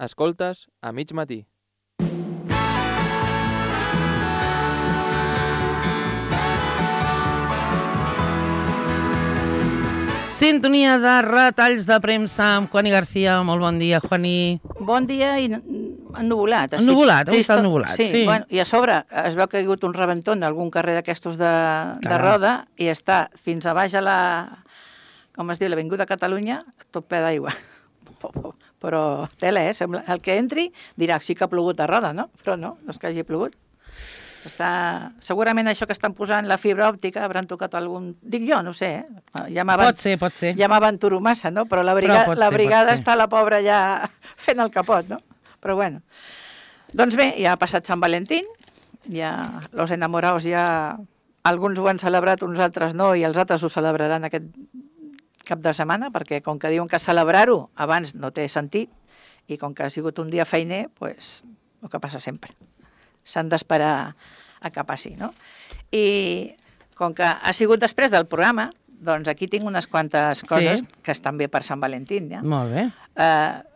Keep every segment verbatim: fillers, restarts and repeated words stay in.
Escoltes a mig matí. Sintonia de retalls de premsa amb Juani García. Molt bon dia, Juani. Bon dia i ennuvolat. Ennuvolat, avui està ennuvolat, sí. sí. Bueno, I a sobre es veu que ha hagut un rebentó en algun carrer d'aquestos de, de roda i està fins a baix a la, com es diu, l'Avinguda Catalunya, tot ple d'aigua. Però tela, eh? Sembla, el que entri dirà, sí que ha plogut a roda, no? Però no, no és que hagi plogut. Està... Segurament això que estan posant la fibra òptica hauran tocat algun... Dic jo, no sé, eh? Ja pot ser, pot ser. Ja m'aventuro massa, no? Però la brigada, Però la ser, brigada està la pobra ja fent el capot, no? Però bueno. Doncs bé, ja ha passat Sant Valentín, ja los enamorados ja... Alguns ho han celebrat, uns altres no, i els altres ho celebraran aquest cap de setmana, perquè com que diuen que celebrar-ho abans no té sentit, i com que ha sigut un dia feiner, pues, el que passa sempre. S'han d'esperar a que passi, no? I com que ha sigut després del programa, doncs aquí tinc unes quantes coses sí. que estan bé per Sant Valentín, ja? Molt bé. Uh,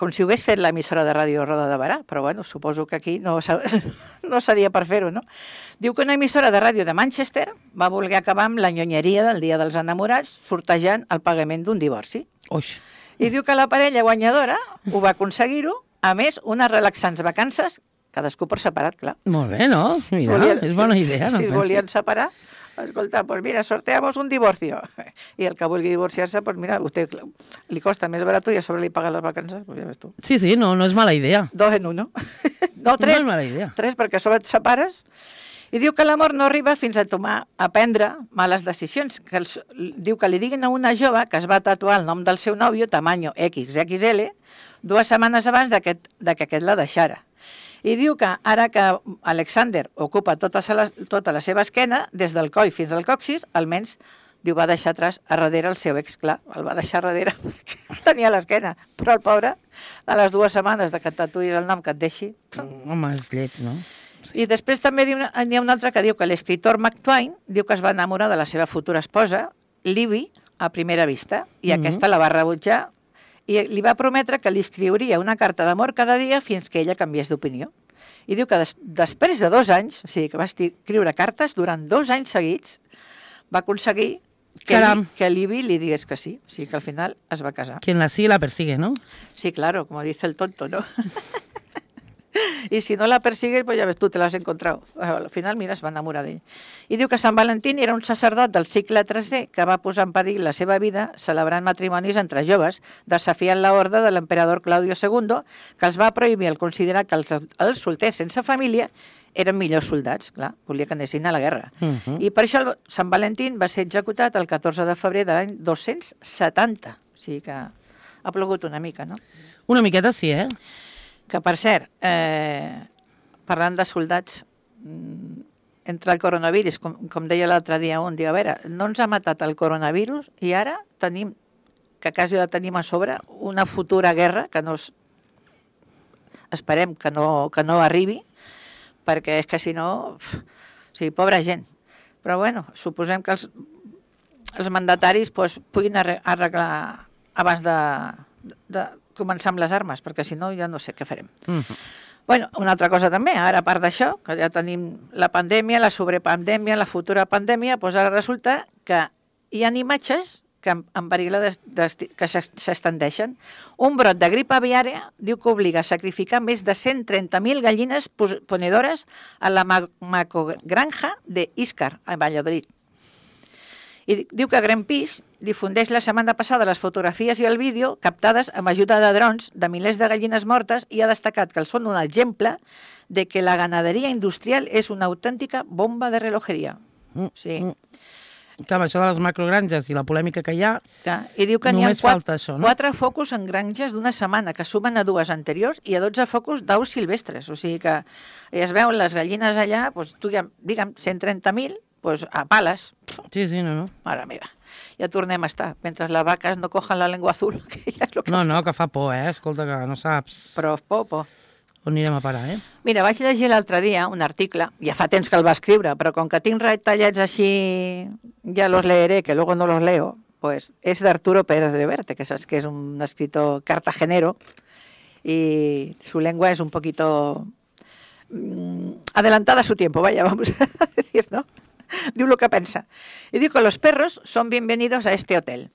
com si ho hagués fet l'emissora de ràdio Roda de Barà, però bueno, suposo que aquí no, no seria per fer-ho, no? Diu que una emissora de ràdio de Manchester va voler acabar amb la nyonyeria del Dia dels Enamorats sortejant el pagament d'un divorci. Uix. I diu que la parella guanyadora ho va aconseguir-ho, a més, unes relaxants vacances, cadascú per separat, clar. Molt bé, no? Mira, si volien, és bona idea. Si, no si es volien separar, escolta, pues mira, sorteamos un divorcio. I el que vulgui divorciar-se, pues mira, usted li costa més barat i a sobre li paga les vacances, pues ja ves tu. Sí, sí, no, no és mala idea. Dos en uno. No, tres. No és mala idea. Tres, perquè a sobre et separes. I diu que l'amor no arriba fins a tomar, a prendre males decisions. Que els, diu que li diguin a una jove que es va tatuar el nom del seu nòvio, tamaño equis equis ele, dues setmanes abans de que, de que aquest la deixara. I diu que ara que Alexander ocupa tota la, tota la seva esquena, des del coll fins al coxis, almenys, diu, va deixar atrás a darrere el seu ex, clar, el va deixar a darrere perquè tenia l'esquena, però el pobre, a les dues setmanes de que et tatuïs el nom que et deixi... Home, és lleig, no? Sí. I després també n'hi ha un altre que diu que l'escriptor Mark Twain diu que es va enamorar de la seva futura esposa, Libby, a primera vista, i mm-hmm. aquesta la va rebutjar i li va prometre que li escriuria una carta d'amor cada dia fins que ella canviés d'opinió. I diu que des, després de dos anys, o sigui, que va escriure cartes durant dos anys seguits, va aconseguir que, li, que Libby li digués que sí. O sigui, que al final es va casar. Quien la sigue la persigue, ¿no? Sí, claro, como dice el tonto, ¿no? I si no la persigues, pues ja ves, tu te l'has encontrat. Al final, mira, es va enamorar d'ell. I diu que Sant Valentín era un sacerdot del segle tercer que va posar en perill la seva vida celebrant matrimonis entre joves, desafiant l'ordre de l'emperador Claudio segundo, que els va prohibir el considerar que els, els solters sense família eren millors soldats. Clar, volia que anessin a la guerra. Uh-huh. I per això el Sant Valentín va ser executat el catorze de febrer de l'any dos-cents setanta. O sigui que ha plogut una mica, no? Una miqueta sí, eh? Que, per cert, eh, parlant de soldats, entre el coronavirus, com, com deia l'altre dia un, diu, a veure, no ens ha matat el coronavirus i ara tenim, que quasi la tenim a sobre, una futura guerra que no es, esperem que no, que no arribi, perquè és que si no, pf, o sigui, pobra gent. Però bueno, suposem que els, els mandataris pues, puguin arreglar abans de... de començar amb les armes, perquè si no ja no sé què farem. Uh-huh. Bueno, una altra cosa també, ara a part d'això, que ja tenim la pandèmia, la sobrepandèmia, la futura pandèmia, doncs ara resulta que hi ha imatges que en perill de, de, que s'estendeixen. Un brot de grip aviària diu que obliga a sacrificar més de cent trenta mil gallines ponedores a la macogranja de Íscar, a Valladolid. I diu que Greenpeace difundeix la setmana passada les fotografies i el vídeo captades amb ajuda de drons de milers de gallines mortes i ha destacat que són un exemple de que la ganaderia industrial és una autèntica bomba de relojeria. Mm, sí. Mm. Clar, això de les macrogranges i la polèmica que hi ha, clar, i diu que n'hi ha quatre, això, no? quatre focus en granges d'una setmana que sumen a dues anteriors i a dotze focus d'aus silvestres. O sigui que es veuen les gallines allà, doncs, tu, digue'm, cent trenta mil, pues a pales. Sí, sí, no, no. Mare meva, ja tornem a estar. Mentre les vaques no cojan la llengua azul. Que ja és lo que no, no, que fa por, eh? Escolta, que no saps... Però por, por. On anirem a parar, eh? Mira, vaig llegir l'altre dia un article, ja fa temps que el va escriure, però com que tinc retallats així, ja los leeré, que luego no los leo, pues és d'Arturo Pérez Reverte, que saps que és un escritor cartagenero, y su lengua es un poquito mmm, adelantada a su tiempo, vaya, vamos a decir, ¿no? Digo lo que piensa. Y digo que los perros son bienvenidos a este hotel.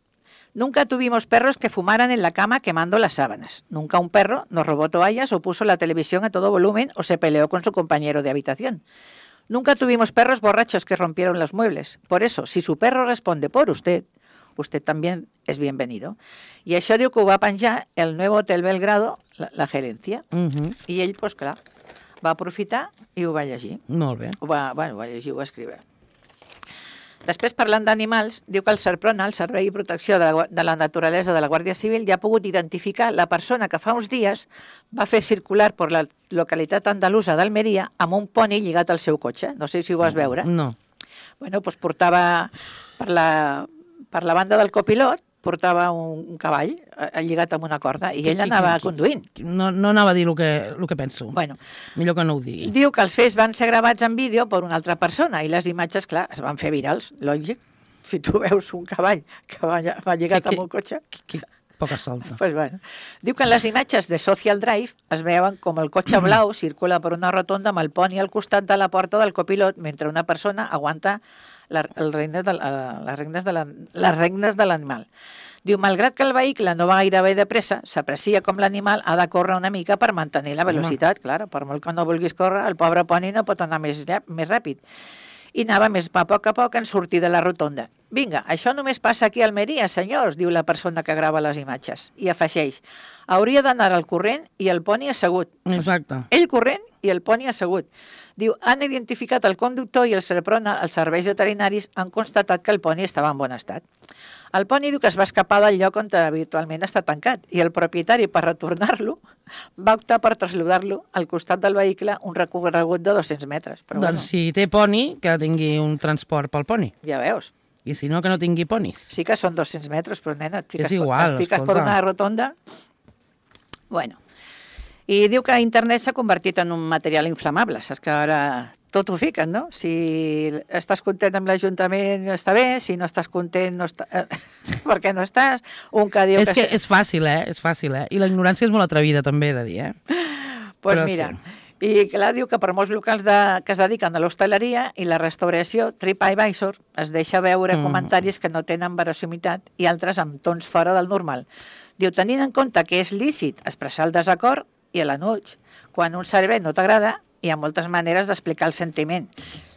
Nunca tuvimos perros que fumaran en la cama quemando las sábanas. Nunca un perro nos robó toallas o puso la televisión a todo volumen o se peleó con su compañero de habitación. Nunca tuvimos perros borrachos que rompieron los muebles. Por eso, si su perro responde por usted, usted también es bienvenido. I això diu que ho va penjar el Nuevo Hotel Belgrado, la, la gerència. Uh -huh. I ell, doncs clar, va aprofitar i ho va llegir. Molt bé. Ho va, bueno, ho va llegir, ho va escriure. Després, parlant d'animals, diu que el SERPRONA, el Servei de Protecció de la, de la Naturalesa de la Guàrdia Civil, ja ha pogut identificar la persona que fa uns dies va fer circular per la localitat andalusa d'Almeria amb un poni lligat al seu cotxe. No sé si ho vas veure. No. Bueno, doncs portava per la, per la banda del copilot, portava un, un cavall eh, lligat amb una corda i ell anava conduint. No, no anava a dir el que, el que penso. Bueno, millor que no ho digui. diu que els fets van ser gravats en vídeo per una altra persona i les imatges, clar, es van fer virals, lògic. Si tu veus un cavall que va, va lligat Que- que- amb un cotxe... Que, poca solta. Pues bueno. Diu que en les imatges de Social Drive es veuen com el cotxe blau circula per una rotonda amb el poni al costat de la porta del copilot mentre una persona aguanta la, el regnes de, la, les regnes de la, les regnes de l'animal. Diu, malgrat que el vehicle no va gairebé de pressa, s'aprecia com l'animal ha de córrer una mica per mantenir la velocitat. Clar, per molt que no vulguis córrer, el pobre poni no pot anar més, més ràpid. I anava més a poc a poc en sortir de la rotonda. Vinga, això només passa aquí a Almeria, senyors, diu la persona que grava les imatges. I afegeix, hauria d'anar al corrent i el poni assegut. Exacte. Ell corrent i el poni assegut. Diu, han identificat el conductor i el SERPRONA, els serveis veterinaris, han constatat que el poni estava en bon estat. El poni diu que es va escapar del lloc on habitualment està tancat i el propietari, per retornar-lo, va optar per traslladar-lo al costat del vehicle un recorregut de dos-cents metres. Però Doncs si té poni, que tingui un transport pel poni. bueno, ja veus. I si no, que no tingui ponis. Sí que són dos-cents metres, però nena, et fiques, És igual, et fiques per escolta. una rotonda. Bueno, i diu que internet s'ha convertit en un material inflamable. Saps que ara tot ho fiquen, no? Si estàs content amb l'Ajuntament està bé, si no estàs content no està... eh, per què no estàs? Un que diu És que que... és fàcil, eh? És fàcil, eh? I la ignorància és molt atrevida, també, he de dir, eh? Pues Però mira, sí. i clar, diu que per molts locals de, que es dediquen a l'hostaleria i la restauració, TripAdvisor es deixa veure Mm. comentaris que no tenen verosimitat i altres amb tons fora del normal. Diu, tenint en compte que és lícit expressar el desacord i a la noche, quan un servei no t'agrada, hi ha moltes maneres d'explicar el sentiment.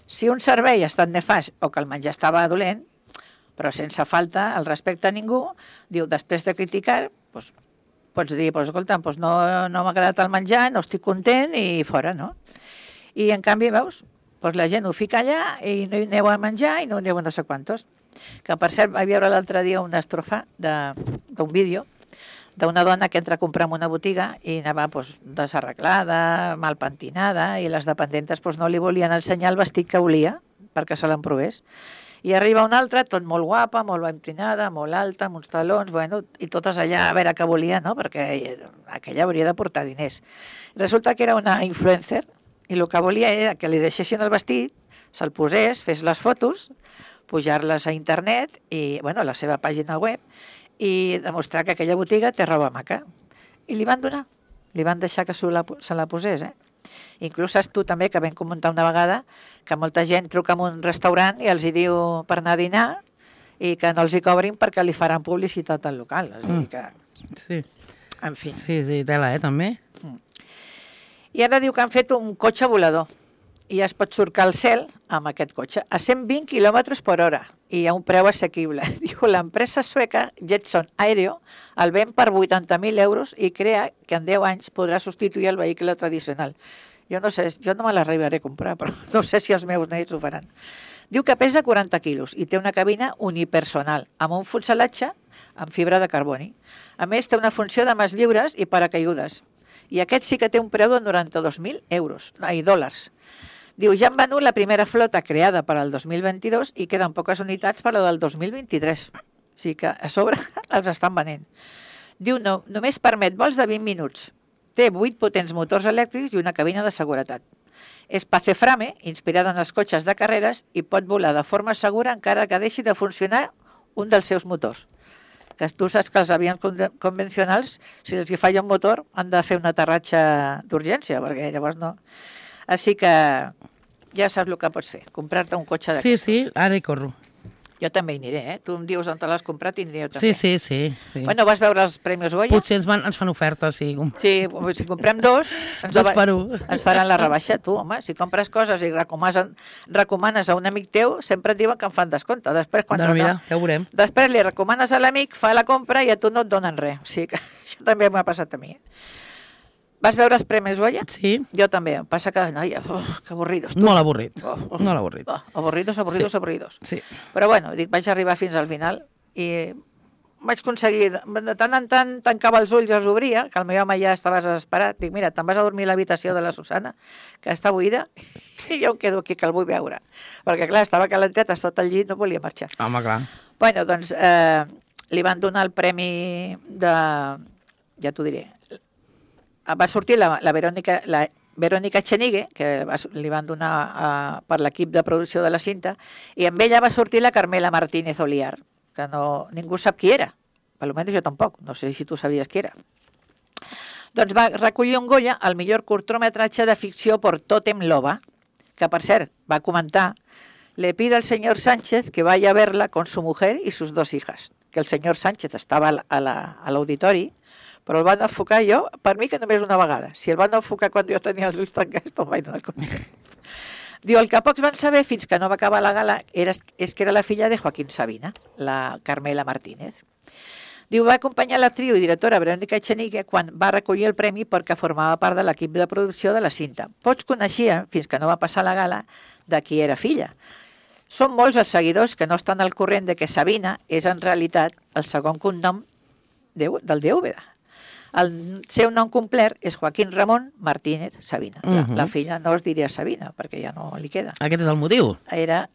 Si un servei ha estat nefast o que el menjar estava dolent, però sense falta el respecte a ningú, diu, després de criticar, doncs, pots dir, pues, escolta, pues no, no m'ha agradat el menjar, no estic content i fora, no? I en canvi, veus, pues la gent ho fica allà i no hi aneu a menjar i no hi aneu a no sé quantos. Que per cert, vaig veure l'altre dia una estrofa de- d'un vídeo d'una dona que entra a comprar en una botiga i anava pues, desarreglada, mal pentinada, i les dependentes pues, no li volien ensenyar el vestit que volia perquè se l'emprovés. I arriba una altra, tot molt guapa, molt ben pentinada, molt alta, amb uns talons, bueno, i totes allà a veure què volia, no? Perquè aquella hauria de portar diners. Resulta que era una influencer i el que volia era que li deixessin el vestit, se'l posés, fes les fotos, pujar-les a internet i, bueno, a la seva pàgina web i demostrar que aquella botiga té roba maca. I li van donar, li van deixar que se la, se la posés, eh? Inclús saps tu també que vam comentar una vegada que molta gent truca a un restaurant i els hi diu per anar a dinar i que no els hi cobrin perquè li faran publicitat al local. És a dir que, Sí, en fi. sí, sí, tela, eh, també. I ara diu que han fet un cotxe volador i es pot surcar al cel amb aquest cotxe a cent vint quilòmetres per hora i a un preu assequible. Diu, l'empresa sueca Jetson Aéreo el ven per vuitanta mil euros i crea que en deu anys podrà substituir el vehicle tradicional. Jo no sé, jo no me l'arribaré a comprar, però no sé si els meus nets ho faran. Diu que pesa quaranta quilos i té una cabina unipersonal amb un fuselatge amb fibra de carboni. A més, té una funció de mans lliures i paracaigudes. I aquest sí que té un preu de noranta-dos mil euros, ai, dòlars. Diu, ja han venut la primera flota creada per al dos mil vint-i-dos i queden poques unitats per a la del dos mil vint-i-tres. O sigui que a sobre els estan venent. Diu, no, només permet vols de vint minuts. Té vuit potents motors elèctrics i una cabina de seguretat. És paceframe, inspirada en els cotxes de carreres, i pot volar de forma segura encara que deixi de funcionar un dels seus motors. que tu saps que els avions con- convencionals, si els hi falla un motor, han de fer un aterratge d'urgència, perquè llavors no. Així que ja saps el que pots fer, comprar-te un cotxe Sí, d'aquestos. sí, ara hi corro. Jo també hi aniré, eh? Tu em dius on te l'has comprat i aniré jo Sí, també. sí, sí. sí. Bueno, vas veure els Premis Goya? Potser ens, van, ens fan ofertes, sí. Sí, si comprem dos, ens, Dos la- per un. ens faran la rebaixa. Tu, home, si compres coses i recomanes, recomanes a un amic teu, sempre et diuen que en fan descompte. Després, quan Doncs mira, no, ja ho veurem. després li recomanes a l'amic, fa la compra i a tu no et donen res. O sigui que això també m'ha passat a mi. Eh? Vas veure els Premis Goya? Sí, Jo també. Em passa que, noia, oh, que avorridos. Tu. molt avorrit. Oh, oh, Molt avorrit. Oh, avorridos, avorridos, Sí. avorridos. Sí. Però bueno, dic, vaig arribar fins al final i vaig aconseguir, de tant en tant tancava els ulls i els obria, que el meu home ja estava desesperat. Dic, mira, te'n vas a dormir a l'habitació de la Susana, que està buida, i jo em quedo aquí, que el vull veure. Perquè, clar, estava calentet, sota el llit, no volia marxar. Home, clar. Bueno, doncs, eh, li van donar el premi de... ja t'ho diré. Va sortir la, la Verònica... La, Verònica Echenique, que va, li van donar uh, per l'equip de producció de la cinta, i amb ella va sortir la Carmela Martínez Oliar, que no, ningú sap qui era, almenys jo tampoc, no sé si tu sabies qui era. Doncs va recollir un Goya al millor curtmetratge de ficció por Totem Loba, que per cert va comentar: le pido al señor Sánchez que vaya a verla con su mujer y sus dos hijas, que el señor Sánchez estava a la, a l'auditori, però el van enfocar jo, per mi que només una vegada. Si el van enfocar quan jo tenia els ulls tancats, no em vaig donar compte. Diu, el que pocs van saber fins que no va acabar la gala era, és que era la filla de Joaquín Sabina, la Carmela Martínez. Diu, va acompanyar l'actriu i directora Verònica Echenique quan va recollir el premi perquè formava part de l'equip de producció de la cinta. Pocs coneixien, fins que no va passar la gala, de qui era filla. Són molts els seguidors que no estan al corrent de que Sabina és en realitat el segon cognom de, del de Úbeda. El seu nom complet és Joaquín Ramon Martínez Sabina. Uh -huh. la, la filla no es diria Sabina, perquè ja no li queda. Aquest és el motiu. Era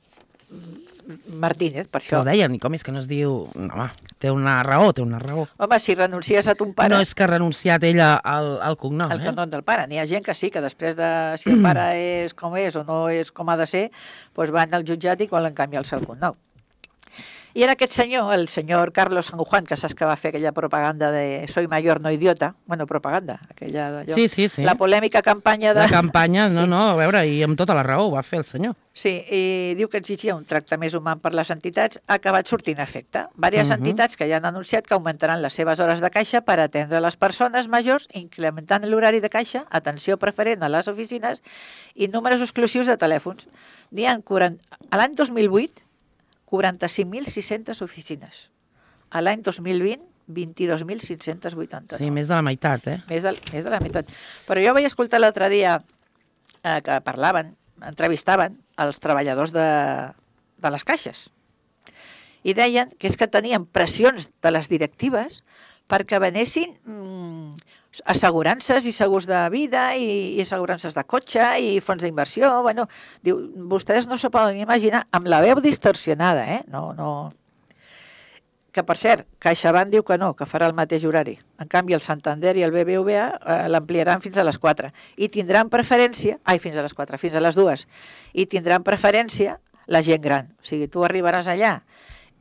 Martínez, per Que això. ho deien, i com és que no es diu... Home, té una raó, té una raó. Home, si renuncies a ton pare... No és que ha renunciat ella al, al cognom, el eh? cognom del pare. N'hi ha gent que sí, que després de si el pare és com és o no és com ha de ser, doncs van al jutjat i volen canviar-se el cognom. I era aquest senyor, el senyor Carlos San Juan, que saps que va fer aquella propaganda de soy mayor, no idiota. Bueno, propaganda, aquella d'allò. Sí, sí, sí. La polèmica campanya de... La campanya, no, Sí. no, a veure, i amb tota la raó ho va fer el senyor. Sí, i diu que exigia un tracte més humà per les entitats, ha acabat sortint a efecte. Vàries uh -huh. entitats que ja han anunciat que augmentaran les seves hores de caixa per atendre les persones majors, incrementant l'horari de caixa, atenció preferent a les oficines i números exclusius de telèfons. N'hi ha quaranta... A l'any dos mil vuit, quaranta-cinc mil sis-centes oficines. A l'any dos mil vint, vint-i-dos mil cinc-cents vuitanta-nou. Sí, més de la meitat, eh? Més de, més de la meitat. Però jo vaig escoltar l'altre dia eh, que parlaven, entrevistaven els treballadors de, de les caixes i deien que és que tenien pressions de les directives perquè venessin mm, assegurances i segurs de vida i, i assegurances de cotxe i fons d'inversió. Bueno, diu, vostès no s'ho poden imaginar, amb la veu distorsionada, eh? No, no... Que, per cert, CaixaBank diu que no, que farà el mateix horari. En canvi, el Santander i el B B V A eh, l'ampliaran fins a les quatre. I tindran preferència... Ai, fins a les quatre, fins a les dues. I tindran preferència la gent gran. O sigui, tu arribaràs allà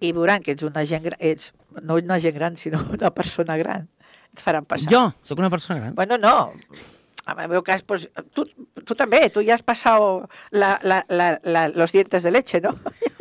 i veuran que ets una gent gran... Ets, no una gent gran, sinó una persona gran. Et faran passar. Jo, sóc una persona gran. Bueno, no. En el meu cas, pues, tu, tu també, tu ja has passat la, la, la, la, los dientes de leche, no?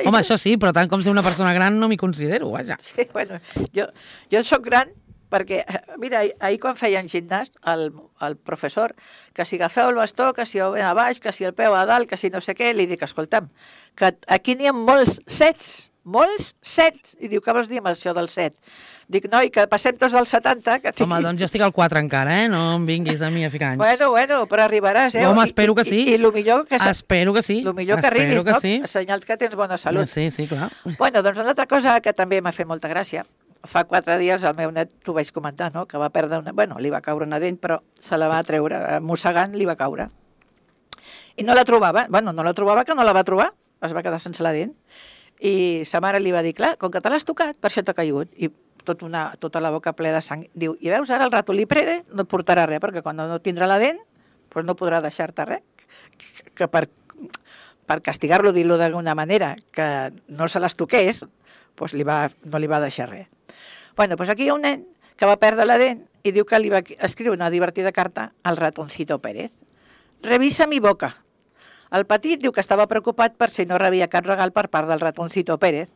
Home, això sí, però tant com ser una persona gran no m'hi considero, vaja. Sí, bueno, jo, jo soc gran perquè, mira, ahir quan feien gimnàs, el, el professor, que si agafeu el bastó, que si el a baix, que si el peu a dalt, que si no sé què, li dic, escolta'm, que aquí n'hi ha molts sets, molts sets, i diu, què vols dir amb això del set? Dic, noi, que passem tots dels setanta... Que Home, doncs jo estic al quatre encara, eh? No em vinguis a mi a ficar anys. Bueno, bueno, però arribaràs, eh? Home, espero que sí. I, i, i el millor que... Espero que sí. El millor que Espero arribis, que no? sí. Senyal que tens bona salut. Sí, sí, clar. Bueno, doncs una altra cosa que també m'ha fet molta gràcia. Fa quatre dies el meu net, t'ho vaig comentar, no? Que va perdre una... Bueno, li va caure una dent, però se la va treure, mossegant li va caure. I no la trobava. Bueno, no la trobava, que no la va trobar. Es va quedar sense la dent. I sa mare li va dir, clar, com que te l'has tocat, per això t'ha caigut. I tot una, tota la boca ple de sang. Diu, i veus, ara el ratolí prede no et portarà res, perquè quan no tindrà la dent, doncs no podrà deixar-te res. Que per, per castigar-lo, dir-lo d'alguna manera, que no se les toqués, doncs li va, no li va deixar res. Bueno, doncs aquí hi ha un nen que va perdre la dent i diu que li va escriure una divertida carta al ratoncito Pérez. Revisa mi boca. El petit diu que estava preocupat per si no rebia cap regal per part del ratoncito Pérez,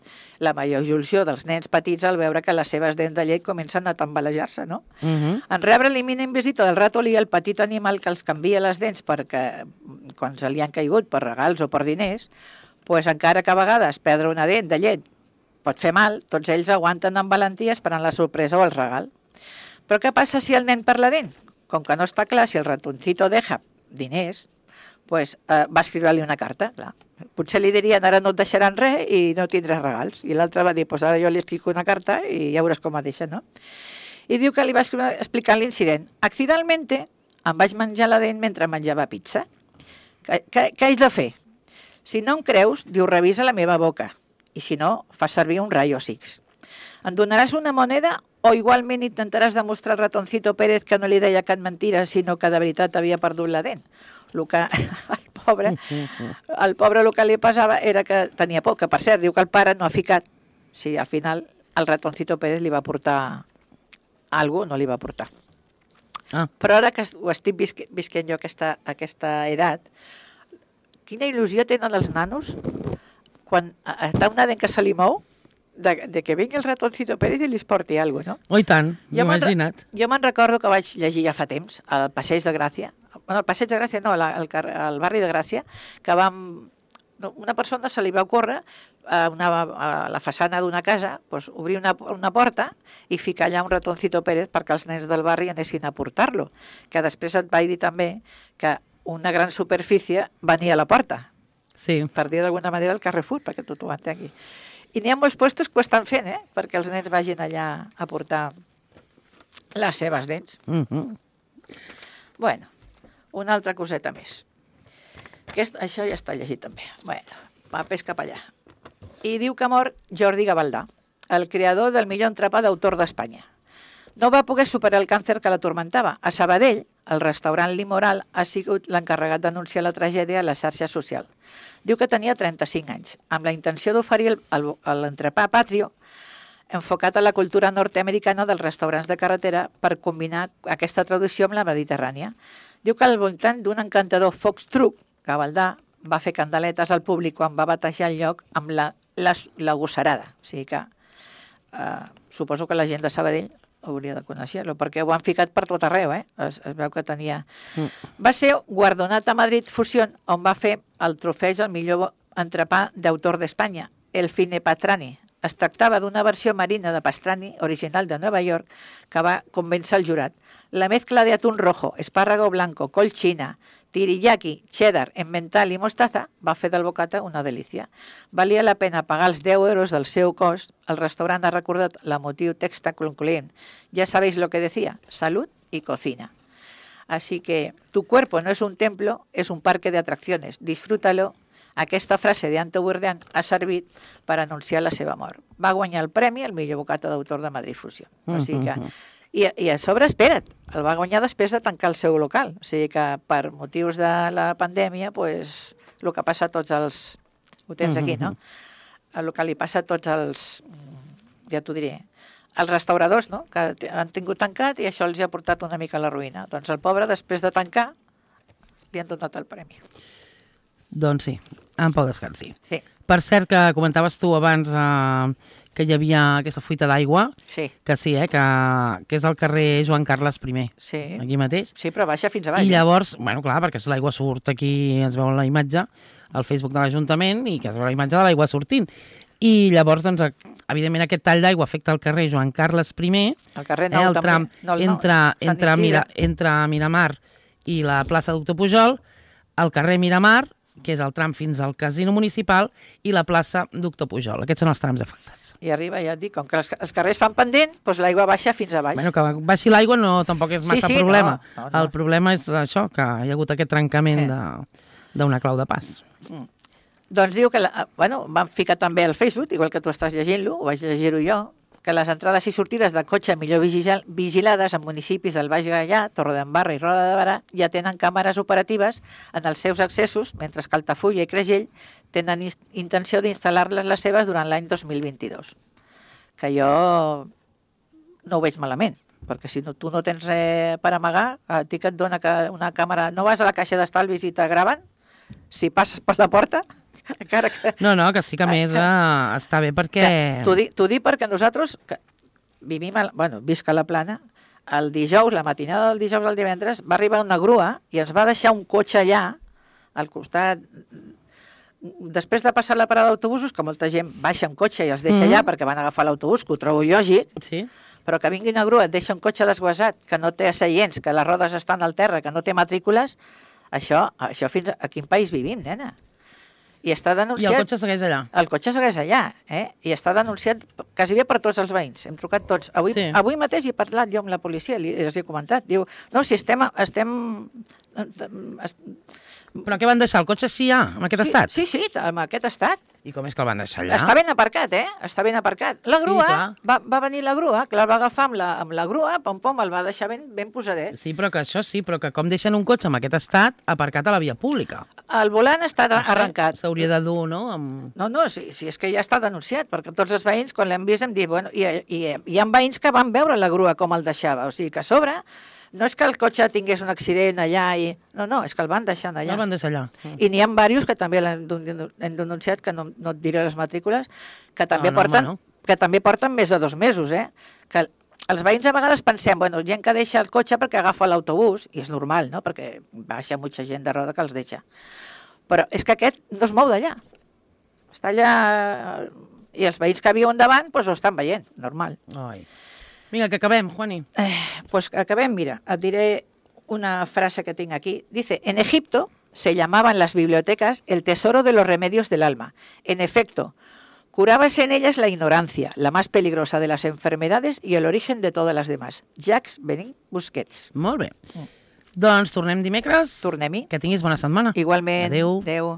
la major il·lusió dels nens petits al veure que les seves dents de llet comencen a tambalejar-se, no? Uh -huh. En rebre l'imminent visita del ratolí, el petit animal que els canvia les dents perquè quan se li han caigut per regals o per diners, pues encara que a vegades perdre una dent de llet pot fer mal, tots ells aguanten amb valentia esperant la sorpresa o el regal. Però què passa si el nen perd la dent? Com que no està clar si el ratoncito deja diners, pues, eh, va escriure-li una carta. Clar. Potser li dirien ara no et deixaran res i no tindràs regals. I l'altre va dir, pues ara jo li escric una carta i ja veuràs com a deixa, no? I diu que li va escriure explicant l'incident. Accidentalmente em vaig menjar la dent mentre menjava pizza. Què, què, què haig de fer? Si no em creus, diu, revisa la meva boca. I si no, fa servir un rayo X. Em donaràs una moneda o igualment intentaràs demostrar al ratoncito Pérez que no li deia cap mentira, sinó que de veritat havia perdut la dent. El que el pobre, el pobre el que li passava era que tenia por, que per cert, diu que el pare no ha ficat. Sí, al final el ratoncito Pérez li va portar alguna cosa, no li va portar. Ah. Però ara que ho estic visque, visquent jo aquesta, aquesta edat, quina il·lusió tenen els nanos quan està una dent que se li mou, de, de que vingui el ratoncito Pérez i li porti alguna cosa, no? Oh, i tant, imagina't. Jo me'n recordo que vaig llegir ja fa temps, al Passeig de Gràcia, bueno, el Passeig de Gràcia no, la, el, el barri de Gràcia, que vam, una persona se li va ocórrer a, una, a la façana d'una casa pues, obrir una, una porta i ficar allà un ratoncito Pérez perquè els nens del barri anessin a portar-lo, que després et vaig dir també que una gran superfície venia a la porta, sí. Per dir d'alguna manera el Carrefour, perquè tot ho entengui. I n'hi ha molts puestos que ho estan fent, eh? Perquè els nens vagin allà a portar les seves dents. Uh -huh. Bueno, una altra coseta més. Aquest, això ja està llegit també. Bueno, papers cap allà. I diu que mor Jordi Gavaldà, el creador del millor entrepà d'autor d'Espanya. No va poder superar el càncer que l'atormentava. A Sabadell, el restaurant Limoral ha sigut l'encarregat d'anunciar la tragèdia a la xarxa social. Diu que tenia trenta-cinc anys, amb la intenció d'oferir l'entrepà patrio enfocat a la cultura nord-americana dels restaurants de carretera per combinar aquesta traducció amb la mediterrània. Diu que al voltant d'un encantador fox-truck, Gavaldà va fer candeletes al públic quan va batejar el lloc amb la, la, la gossarada. O sigui que eh, suposo que la gent de Sabadell hauria de conèixer-lo, perquè ho han ficat per tot arreu, eh? Es, es veu que tenia... Mm. Va ser guardonat a Madrid Fusión, on va fer el trofeig al millor entrepà d'autor d'Espanya, el Fine Pastrani. Es tractava d'una versió marina de Pastrani, original de Nova York, que va convèncer el jurat. La mezcla de atún rojo, espárrago blanco, col china, teriyaki, cheddar, emmental i mostaza va fer del bocata una delícia. Valia la pena pagar els deu euros del seu cost. El restaurant ha recordat l'emotiu text concloent. Ya sabéis lo que decía, salud y cocina. Así que tu cuerpo no es un templo, es un parque de atracciones. Disfrútalo. Aquesta frase d'Anto Bourdain ha servit per anunciar la seva mort. Va guanyar el premi al millor bocata d'autor de Madrid Fusió. O sigui que... I, I a sobre, espera't, el va guanyar després de tancar el seu local. O sigui que per motius de la pandèmia, pues, el que passa a tots els... Ho tens aquí, no? El que li passa a tots els... Ja t'ho diré. Els restauradors, no?, que han tingut tancat i això els ha portat una mica a la ruïna. Doncs el pobre, després de tancar, li han donat el premi. Doncs sí, en pau descansi. Sí. Per cert, que comentaves tu abans eh, que hi havia aquesta fuita d'aigua, sí. que sí, eh, que, que és al carrer Joan Carles primer, sí. aquí mateix. Sí, però baixa fins a baix. I llavors, eh? bueno, clar, perquè l'aigua surt aquí, ens veu la imatge, al Facebook de l'Ajuntament, i que es veu la imatge de l'aigua sortint. I llavors, doncs, evidentment, aquest tall d'aigua afecta el carrer Joan Carles primer, el carrer Nou, eh, el també. tram No, el entre, nou, entre, Mira, entre Miramar i la plaça Doctor Pujol, el carrer Miramar, que és el tram fins al Casino Municipal, i la plaça Doctor Pujol. Aquests són els trams afectats. I arriba, ja et dic, com que els, els carrers fan pendent, doncs l'aigua baixa fins a baix. Bueno, que baixi l'aigua no, tampoc és massa sí, sí, problema. No, no, no. El problema és això, que hi ha hagut aquest trencament d'una clau de pas. Mm. Doncs diu que, la, bueno, van ficar també al Facebook, igual que tu estàs llegint-lo, ho vaig llegir-ho jo, que les entrades i sortides de cotxe millor vigilades en municipis del Baix Gaià, Torredembarra i Roda de Barà ja tenen càmeres operatives en els seus accessos, mentre que Altafulla i Creixell tenen intenció d'instal·lar-les les seves durant l'any dos mil vint-i-dos. Que jo no ho veig malament, perquè si no, tu no tens res per amagar, a ti que et dona que una càmera... No vas a la caixa d'estalvis i te graven? Si passes per la porta, encara que... No, no, que sí que a més eh, està bé perquè... T'ho dic, t'ho dic perquè nosaltres, que vivim, a, bueno, visc a la Plana, el dijous, la matinada del dijous al divendres, va arribar una grua i ens va deixar un cotxe allà, al costat... Després de passar la parada d'autobusos, que molta gent baixa en cotxe i els deixa Mm. allà perquè van agafar l'autobús, que ho trobo lògic, Sí? però que vingui una grua, et deixa un cotxe desguasat, que no té seients, que les rodes estan al terra, que no té matrícules, això, això fins a, a quin país vivim, nena? I està I denunciat... el cotxe segueix allà. El cotxe segueix allà, eh? I està denunciat quasi bé per tots els veïns. Hem trucat tots. Avui, Sí. avui mateix he parlat jo amb la policia, li, els he comentat. Diu, no, si estem... estem es, Però què van deixar? El cotxe sí ja, en aquest sí, estat? Sí, sí, en aquest estat. I com és que el van deixar allà? Està ben aparcat, eh? Està ben aparcat. La grua, clar. va, va venir la grua, que la va agafar amb la, amb la grua, pom, pom, el va deixar ben, ben posadet. Sí, però que això sí, però que com deixen un cotxe en aquest estat aparcat a la via pública? El volant està Això arrencat. S'hauria de dur, no? Amb... No, no, si, si és que ja està denunciat, perquè tots els veïns, quan l'hem vist, hem dit, bueno, i, i, hi ha veïns que van veure la grua com el deixava, o sigui que a sobre no és que el cotxe tingués un accident allà, i... no, no, és que el van deixant allà. El van deixar allà. I n'hi ha diversos que també l'han denu- hem denunciat, que no, no et diré les matrícules, que també, no, porten, home, no. que també porten més de dos mesos, eh? Que els veïns a vegades pensem, bueno, gent que deixa el cotxe perquè agafa l'autobús, i és normal, no?, perquè baixa molta gent de roda que els deixa. Però és que aquest no es mou d'allà. Està allà... I els veïns que viuen davant, doncs ho estan veient, normal. Ai. Vinga, que acabem, Juani. Eh, pues acabem, mira, et diré una frase que tengo aquí. Dice, en Egipto se llamaban las bibliotecas el tesoro de los remedios del alma. En efecto, curábase en ellas la ignorancia, la más peligrosa de las enfermedades y el origen de todas las demás. Jacques Benin Busquets. Molt bé. Doncs tornem dimecres. Tornem-hi. Que tinguis bona setmana. Igualment. Adéu. Adéu.